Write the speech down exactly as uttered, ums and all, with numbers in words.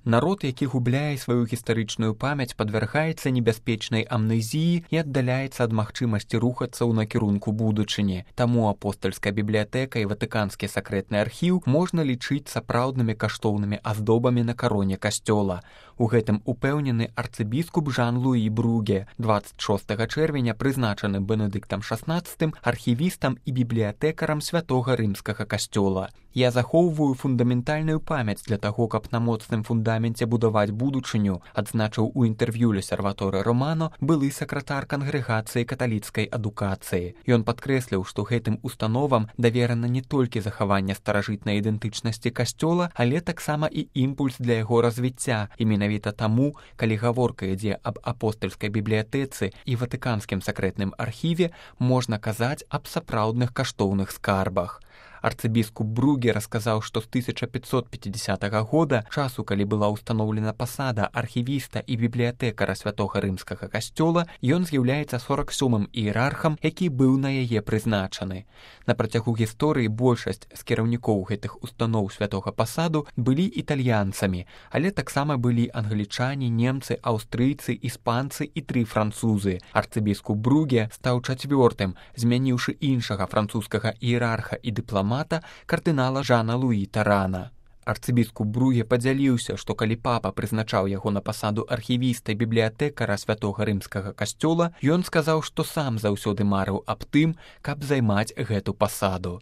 Народ, які губляе сваю гістарычную памяць, падвяргаецца небяспечнай амнезіі і аддаляецца ад магчымасці рухацца ў накірунку будучыні. Таму апостальская бібліятэка і ватыканскі сакрэтны архіў можна лічыць сапраўднымі каштоўнымі аздобамі на кароне касцёла. У гэтым упэўнены арцыбіскуп Жан-Луі Бруге, дваццаць шостага чэрвеня прызначаны Бенедыктам шаснаццатым архівістам і бібліятэкарам святога рымскага касцёла. Я захоўваю фундаментальную памяць для таго, каб на моцным фундаменце будаваць будучыню, адзначыў у інтэрв'ю Лесерваторы Романо былы сакратар кангрэгацыі каталіцкай адукацыі. Ён падкрэсліў, што гэтым установам даверана не толькі захаванне старажытнай ідэнтычнасці касцёла, але таксама і імпульс для яго развіцця. І менавіта таму, калі гаворка ідзе аб апостальскай бібліятэцы і ватыканскім сакрэтным архіве, можна казаць аб сапраўдных каштоўных скарбах. Арцыбіскуп Бруге расказаў, што з тысяча пятьсот пятидесятага года, часу, калі была ўстаноўлена пасада архівіста і бібліятэкара святога рымскага касцёла, ён з'яўляецца сорак сёмым іерархам, які быў на яе прызначаны. На працягу гісторыі большасць з кіраўнікоў гэтых устаноў святога пасаду былі італьянцамі, але таксама былі англічане, немцы, аўстрыйцы, іспанцы і тры французы. Арцыбіскуп Бруге стаў чацвёртым, змяніўшы іншага французскага іерарха і дыпламата кардынала Жана Луі Тарана. Арцыбіскуп Бруге падзяліўся, што калі папа прызначаў яго на пасаду архівіста і бібліятэкара святога рымскага касцёла, ён сказаў, што сам заўсёды марыў аб тым, каб займаць гэту пасаду.